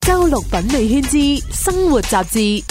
周六品味圈之生活雜誌。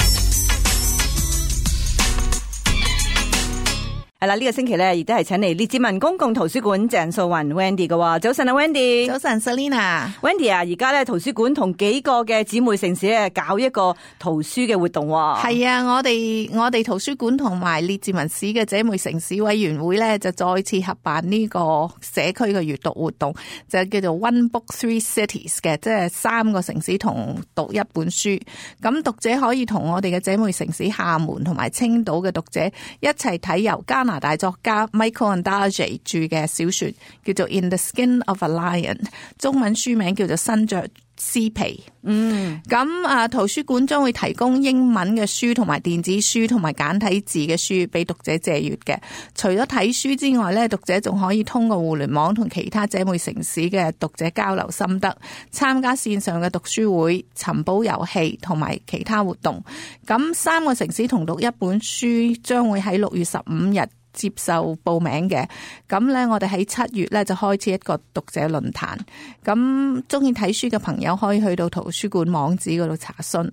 係啦，呢個星期咧，亦都係請嚟列治文公共圖書館鄭素雲 Wendy 嘅。早晨啊 Wendy。早晨 Selina。Wendy 啊，而家咧圖書館同幾個嘅姊妹城市咧搞一個圖書嘅活動。係啊，我哋圖書館同埋列治文市嘅姐妹城市委員會咧就再次合辦呢個社區嘅閱讀活動，就叫做 One Book Three Cities 嘅，即係3個城市同讀一本書。咁讀者可以同我哋嘅姐妹城市廈門同埋青島嘅讀者一齊睇由加拿大作家 Michael Ondaatje 著嘅小說，叫做 In the Skin of a Lion， 中文書名叫做身着獅皮。咁圖書館將會提供英文嘅書同埋電子書同埋簡體字嘅書俾讀者借閱嘅。除咗睇書之外咧，讀者仲可以通過互聯網同其他姐妹城市嘅讀者交流心得，參加線上嘅讀書會、尋寶遊戲同埋其他活動。咁3個城市同讀一本書將會喺6月15日接受報名嘅。咁咧我哋喺7月咧就開始一個讀者論壇，咁中意睇書嘅朋友可以去到圖書館網址嗰度查詢。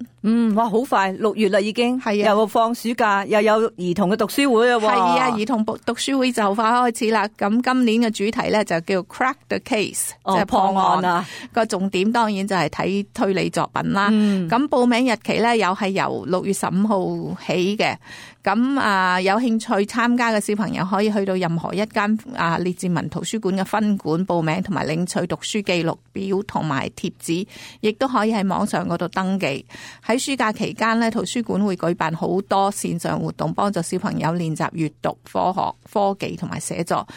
哇，好快6月啦已經。係啊，又放暑假，又有兒童嘅讀書會啊。係啊，兒童讀書會就快開始啦。咁今年嘅主題咧就叫 Crack the Case，即係破案啊。個重點當然就係睇推理作品啦。咁報名日期咧又係由6月15號起嘅。咁有興趣參加嘅小朋友可以去到任何一間列治文圖書館嘅分館報名，同埋領取讀書記錄表同埋貼紙，亦都可以喺網上嗰度登記。喺暑假期間咧，圖書館會舉辦好多線上活動，幫助小朋友練習閱讀、科學、科技同埋寫作。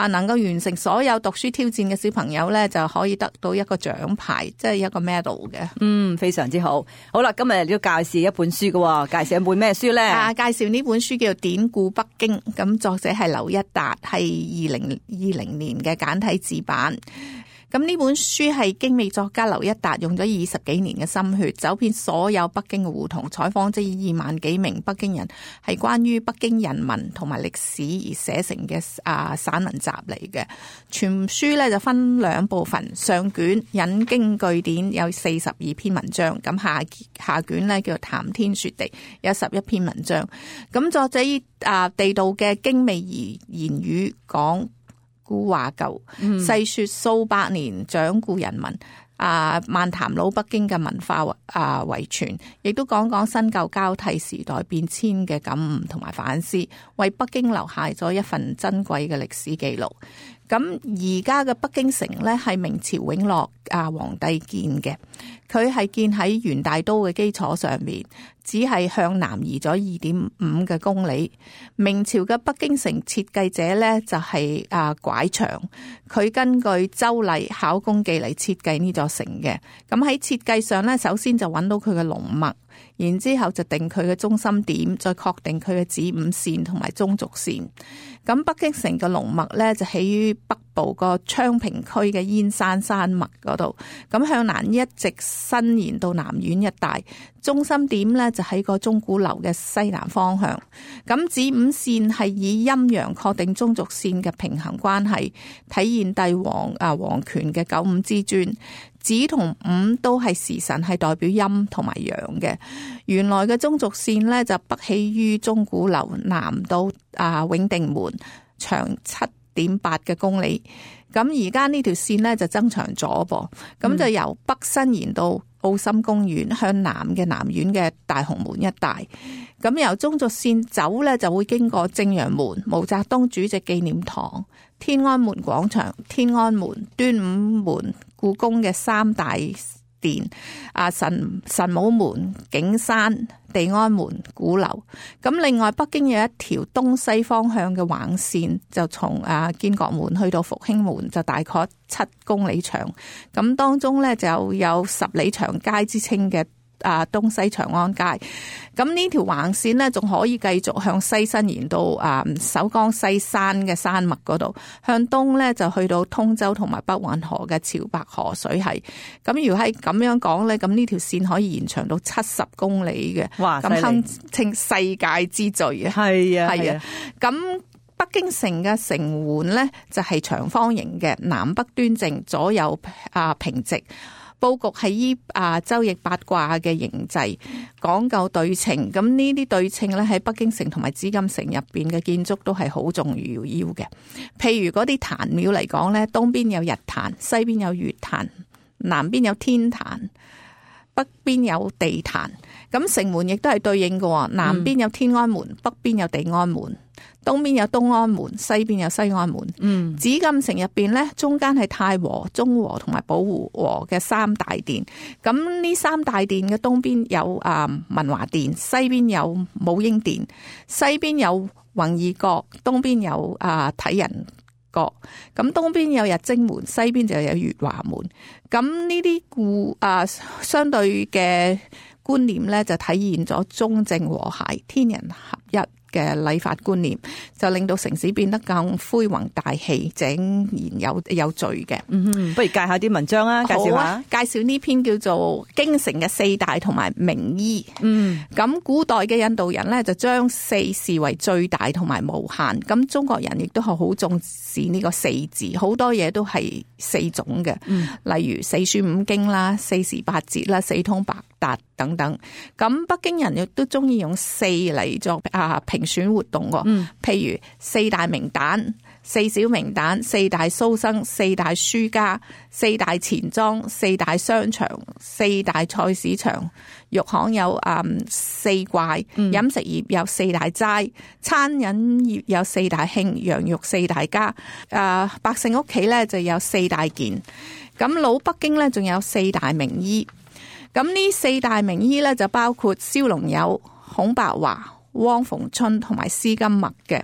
能夠完成所有讀書挑戰嘅小朋友咧，就可以得到一個獎牌，即係一個 medal 嘅。非常之好。好啦，今日要介紹一本書嘅，介紹一本咩書咧？介紹呢本書叫做《典故北京》，咁作者係劉一達，係2020年嘅簡體字版。咁呢本書係精美作家劉一達用咗20幾年嘅心血，走遍所有北京嘅胡同，採訪咗2萬幾名北京人，係關於北京人民同埋歷史而寫成嘅散文集嚟嘅。全書咧就分2部分，上卷引經據典有42篇文章，咁下卷咧叫做談天說地，有11篇文章。咁作者以地道嘅精美言語講古話舊，細說數百年掌故人民，漫談老北京嘅文化遺傳，亦都講講新舊交替時代變遷嘅感悟同埋反思，為北京留下咗一份珍貴嘅歷史記錄。咁而家嘅北京城咧係明朝永樂皇帝建嘅，佢係建喺元大都嘅基礎上面，只係向南移咗2.5嘅公里。明朝嘅北京城設計者咧就係拐長，佢根據周禮考工記嚟設計呢座城嘅。咁喺設計上咧，首先就揾到佢嘅龍脈，然之後就定佢嘅中心點，再確定佢嘅子午線同埋中軸線。咁北京城嘅龍脈咧就起於北部個昌平區嘅燕山山脈嗰度，咁向南一直伸延到南苑一帶，中心點咧就喺個鐘鼓樓嘅西南方向。咁子午線係以陰陽確定中軸線嘅平衡關係，體現帝王皇權嘅九五之尊。子同午都係時辰，係代表陰同埋陽嘅。原來嘅中軸線咧就北起於鐘鼓樓，南到永定門，長7.8嘅公里。咁而家呢條線咧就增長咗噃，咁就由北伸延到奧森公園，向南嘅南苑嘅大紅門一帶。咁由中軸線走咧就會經過正陽門、毛澤東主席紀念堂、天安門廣場、天安門、端午門、故宮嘅3大殿、神武門、景山、地安門、鼓樓。咁另外北京有一條東西方向嘅橫線，就從建國門去到復興門，就大概7公里長。咁當中咧就有10里長街之稱嘅東西長安街。咁呢條橫線呢，仲可以繼續向西伸延到首江西山嘅山脈嗰度，向東呢，就去到通州同埋北運河嘅潮白河水系。咁如果係咁樣講呢，咁呢條線可以延長到70公里嘅。哇！咁堪稱世界之最啊！係啊，係啊。咁北京城嘅城垣呢，就係長方形嘅，南北端正，左右平直。佈局係依周易八卦嘅形制，講究對稱。咁呢啲對稱咧喺北京城同埋紫禁城入邊嘅建築都係好重要嘅。譬如嗰啲壇廟嚟講咧，東邊有日壇，西邊有月壇，南邊有天壇，北邊有地壇。咁城門亦都係對應嘅，南邊有天安門，北邊有地安門。東邊有東安門，西邊有西安門。紫禁城入邊咧，中間係太和、中和同埋保護和嘅三大殿。咁呢三大殿嘅東邊有文華殿，西邊有武英殿，西邊有弘義閣，東邊有體仁閣。咁東邊有日貞門，西邊就有月華門。咁呢啲相對嘅觀念咧，就體現咗中正和諧、天人合一嘅禮法觀念，就令到城市變得更恢宏大氣、井然有序嘅。不如介下啲文章啊，介紹下。介紹呢篇叫做《京城嘅四大同埋名醫》。咁古代嘅印度人咧就將四視為最大同埋無限。咁中國人亦都係好重視呢個四字，好多嘢都係四種嘅。例如四書五經啦、四時八節啦、四通八達等等。咁北京人亦都中意用四嚟作評選活動喎。譬如四大名旦、四小名旦、四大蘇生、四大書家、四大錢莊、四大商場、四大菜市場，肉行有四怪，飲食業有四大齋，餐飲業有四大興，羊肉四大家，百姓屋企咧就有四大件。咁老北京咧仲有四大名醫。咁呢四大名醫咧就包括蕭龍友、孔白華、汪逢春同埋施金墨嘅。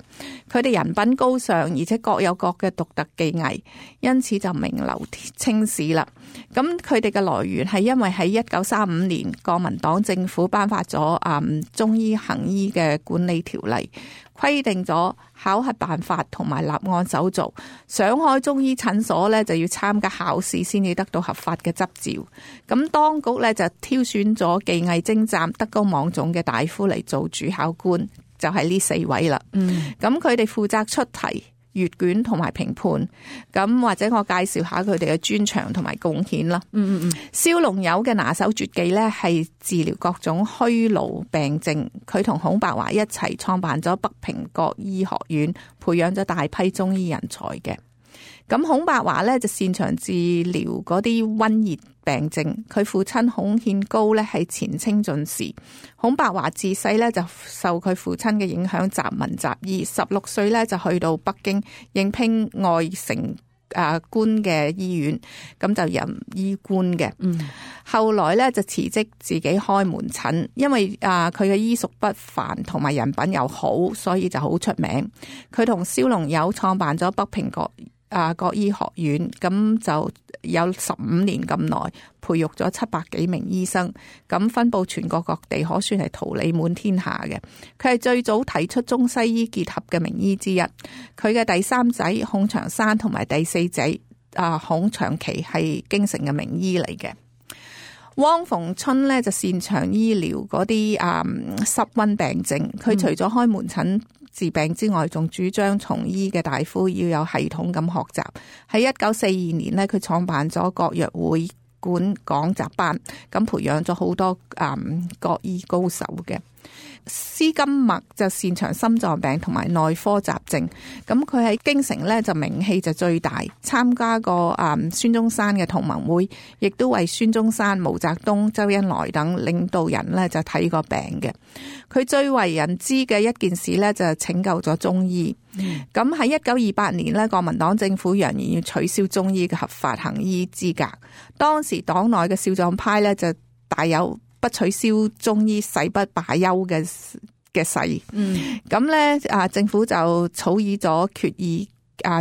佢哋人品高尚，而且各有各嘅獨特技藝，因此就名留青史啦。咁佢哋嘅來源係因為喺1935年國民黨政府頒發咗中醫行醫嘅管理條例，規定咗考核辦法同埋立案手續。想開中醫診所咧就要參加考試先至得到合法嘅執照。咁當局咧就挑選咗技藝精湛、德高望重嘅大夫嚟做主考官，就係呢四位啦。咁佢哋負責出題、閱卷同埋評判。咁或者我介紹下佢哋嘅專長同埋貢獻啦。蕭龍友嘅拿手絕技咧係治療各種虛勞病症。佢同孔白華一齊創辦咗北平國醫學院，培養咗大批中醫人才嘅。咁孔白華咧就擅長治療嗰啲瘟熱病症。佢父親孔憲高咧係前清進士。孔白華自細咧就受佢父親嘅影響，習文習醫。16歲咧就去到北京應聘外城官嘅醫院，咁就任醫官嘅。後來咧就辭職自己開門診，因為佢嘅醫術不凡同埋人品又好，所以就好出名。佢同蕭龍友創辦咗北平國醫學院，咁就有15年咁耐，培育咗700幾名醫生，咁分佈全國各地，可算係桃李滿天下嘅。佢係最早提出中西醫結合嘅名醫之一。佢嘅第三仔孔祥山同埋第四仔孔祥祺係京城嘅名醫嚟嘅。汪逢春咧就擅長醫療嗰啲濕溫病症。佢除咗開門診治病之外，仲主張從醫嘅大夫要有系統咁學習。喺1942年咧，佢創辦咗國藥會館講習班，咁培養咗好多國醫高手嘅。施金墨就擅長心臟病同埋內科雜症，咁佢喺京城咧就名氣就最大，參加過孫中山嘅同盟會，亦都為孫中山、毛澤東、周恩來等領導人咧就睇過病嘅。佢最為人知嘅一件事咧就係拯救咗中醫。咁喺1928年咧，國民黨政府揚言要取消中醫嘅合法行醫資格。當時黨內嘅少壯派咧就大有不取消中醫誓不罷休嘅誓。咁咧政府就草擬咗決議，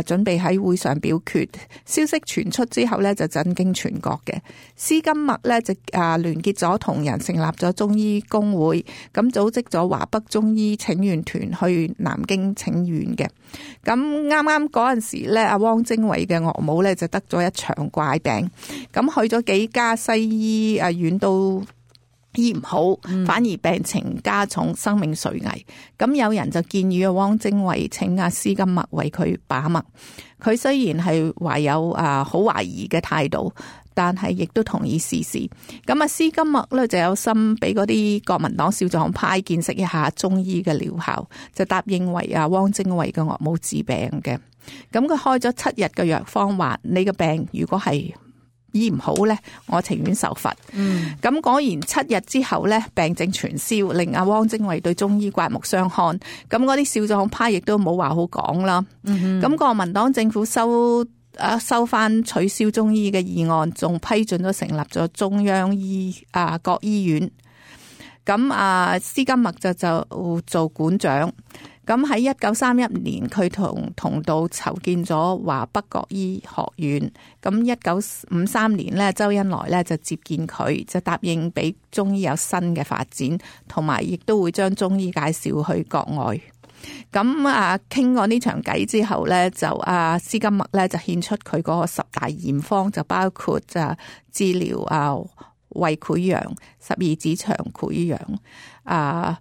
準備喺會上表決。消息傳出之後咧就震驚全國嘅。施金墨咧就聯結咗同仁，成立咗中醫工會，咁組織咗華北中醫請願團去南京請願嘅。咁啱啱嗰陣時咧，阿汪精衛嘅岳母咧就得咗一場怪病，咁去咗幾家西醫院都醫唔好，反而病情加重，生命垂危。咁有人就建議汪精衛請阿施金墨為佢把脈。佢雖然係懷有好懷疑嘅態度，但係亦都同意視事。咁啊，施金默咧就有心俾嗰啲國民黨少壯派見識一下中醫嘅療效，就答應為汪精衛嘅岳母治病嘅。咁佢開咗7日嘅藥方，話你嘅病如果係醫唔好咧，我情願受罰。咁果然7日之後咧，病症全消，令汪精衛對中醫刮目相看。咁嗰啲少壯派亦都冇話好講啦。咁國民黨政府收翻取消中醫嘅議案，仲批准咗成立咗中央各醫院。咁施金默就做館長。咁喺1931年，佢同道籌建咗華北國醫學院。咁1953年咧，周恩來咧就接見佢，就答應俾中醫有新嘅發展，同埋亦都會將中醫介紹去國外。咁傾過呢場偈之後咧，就施金默咧就獻出佢嗰個10大驗方，就包括就治療胃潰瘍、12指腸潰瘍、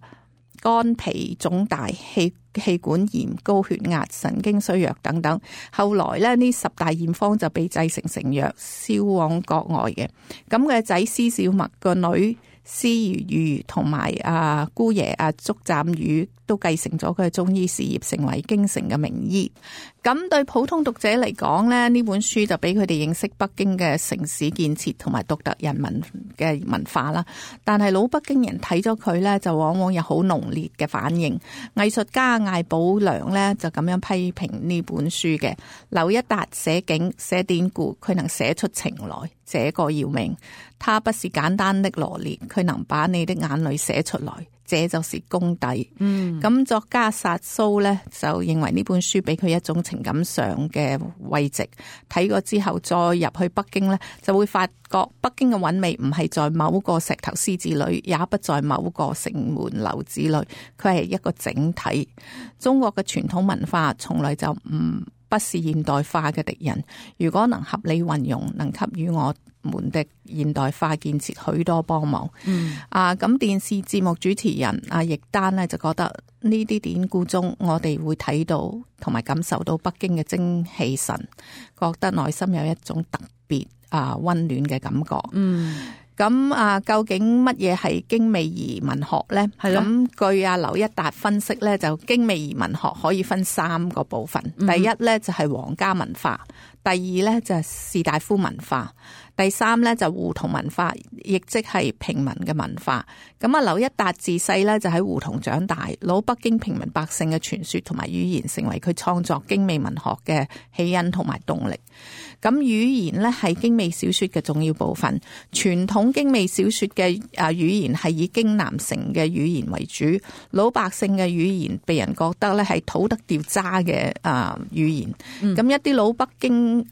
肝脾腫大、氣管炎、高血壓、神經衰弱等等。後來咧，呢10大驗方就被製成藥，銷往國外嘅。咁佢嘅仔施小麥個女施如玉同埋姑爺祝湛宇都繼承咗佢嘅中醫事業，成為京城嘅名醫。咁對普通讀者嚟講咧，呢本書就俾佢哋認識北京嘅城市建設同埋獨特人民嘅文化啦。但係老北京人睇咗佢咧，就往往有好濃烈嘅反應。藝術家艾寶良咧就咁樣批評呢本書嘅：劉一達寫景寫典故，佢能寫出情來，這個要命。他不是簡單的羅列，佢能把你的眼淚寫出來，這就是功底。咁作家薩蘇呢，就認為呢本書俾佢一種情感上嘅慰藉。睇過之後再入去北京呢，就會發覺北京嘅韻味唔係在某個石頭獅子裏，也不在某個城門樓子裏，佢係一個整體。中國嘅傳統文化從來就不是現代化嘅敵人，如果能合理運用，能給予我們的現代化建設許多幫忙。咁電視節目主持人易丹呢，就覺得呢啲典故中，我哋會睇到同埋感受到北京嘅精氣神，覺得內心有一種特別溫暖嘅感覺。咁究竟乜嘢係京美怡文學呢？咁據劉一達分析呢，就京美怡文學可以分3個部分。第一呢，就係皇家文化，第二呢，就係士大夫文化，第3呢，就胡同文化，亦即係平民嘅文化。咁劉一達自細呢，就喺胡同長大，老北京平民百姓嘅傳說同埋語言成為佢創作京美文學嘅起因同埋動力。咁語言呢，係京美小說嘅重要部分。傳統京美小說嘅語言係以京南城嘅語言為主，老百姓嘅語言被人覺得咧係土得掉渣嘅語言。咁一啲老北京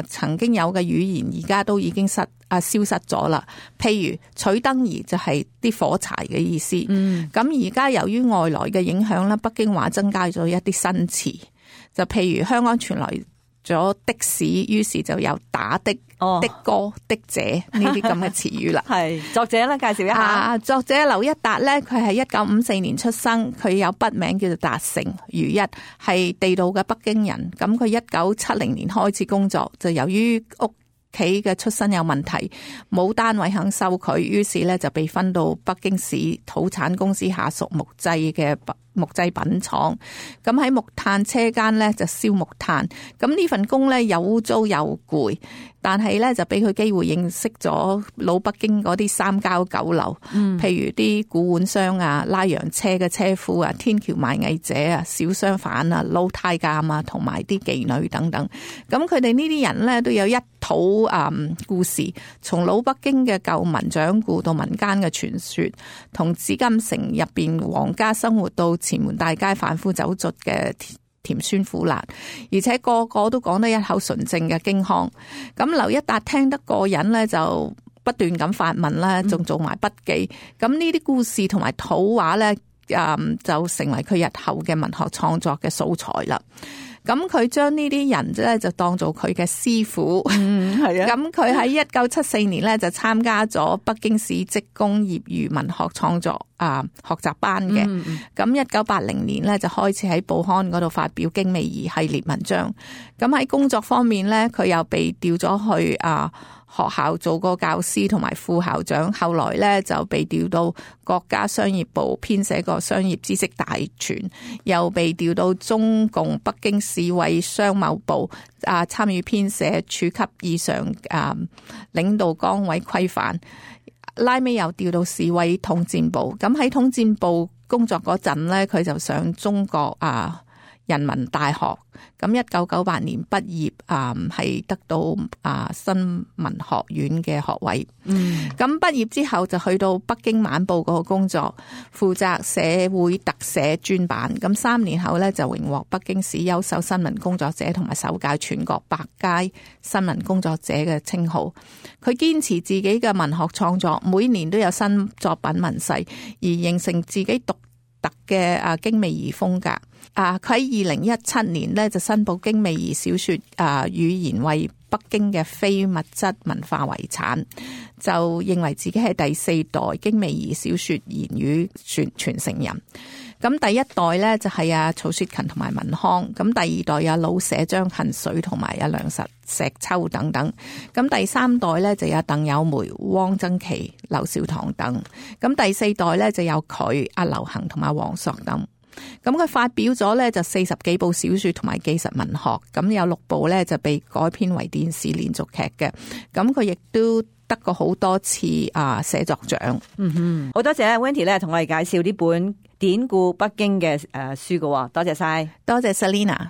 曾經有嘅語言，而家都已經消失咗啦。譬如取燈兒就係啲火柴嘅意思。咁而家由於外來嘅影響咧，北京話增加咗一啲新詞，就譬如香港傳來咗的士，於是就有打的、的哥、的姐呢啲咁嘅詞語啦。係作者咧，介紹一下。作者劉一達咧，佢係1954年出生，佢有筆名叫做達成如一，係地道嘅北京人。咁佢1970年開始工作，就由於屋企嘅出身有問題，冇單位肯收佢，於是咧就被分到北京市土產公司下屬木製品廠。咁喺木炭車間咧就燒木炭。咁呢份工咧又污糟又攰，但係咧就俾佢機會認識咗老北京嗰啲三交九流，譬如啲古玩商拉洋車嘅車夫天橋賣藝者小商販撈太監同埋啲妓女等等。咁佢哋呢啲人咧都有一套故事，從老北京嘅舊民掌故到民間嘅傳說，同紫禁城入邊皇家生活到前門大街販夫走卒嘅甜酸苦辣，而且個個都講得一口純正嘅京腔。咁劉一達聽得過癮咧，就不斷咁發問啦，仲做埋筆記。咁呢啲故事同埋土話咧，就成為佢日後嘅文學創作嘅素材啦。咁佢將呢啲人咧就當做佢嘅師傅。係啊。咁佢喺1974年咧就參加咗北京市職工業餘文學創作學習班嘅。咁1980年咧就開始喺報刊嗰度發表京美怡系列文章。咁喺工作方面咧，佢又被調咗去學校做過教師同埋副校長，後來咧就被調到國家商業部編寫個商業知識大全，又被調到中共北京市委商貿部參與編寫處級以上領導崗位規範，拉尾又調到市委統戰部。咁喺統戰部工作嗰陣咧，佢就上中國人民大學，咁1998年畢業，係得到新聞學院嘅學位。咁畢業之後就去到北京晚報嗰個工作，負責社會特寫專版。咁3年後咧就榮獲北京市優秀新聞工作者同埋首屆全國百佳新聞工作者嘅稱號。佢堅持自己嘅文學創作，每年都有新作品問世，而形成自己獨特嘅經美儀風格。佢喺2017年咧就申報經美儀小說語言為北京嘅非物質文化遺產，就認為自己係第4代經美儀小說言語傳承人。咁第一代咧就係曹雪芹同埋文康，咁第二代有老舍張恨水同埋梁實石秋等等，咁第3代咧就有鄧有梅、汪曾祺、劉少棠等，咁第4代咧就有佢劉恒同埋王朔等。咁佢發表咗咧就40幾部小說同埋紀實文學，咁有6部咧就被改編為電視連續劇嘅，咁佢亦都得過好多次寫作獎。好多謝 Wendy 咧同我哋介紹呢本典故北京嘅書㗎，多謝晒，多謝 Selina。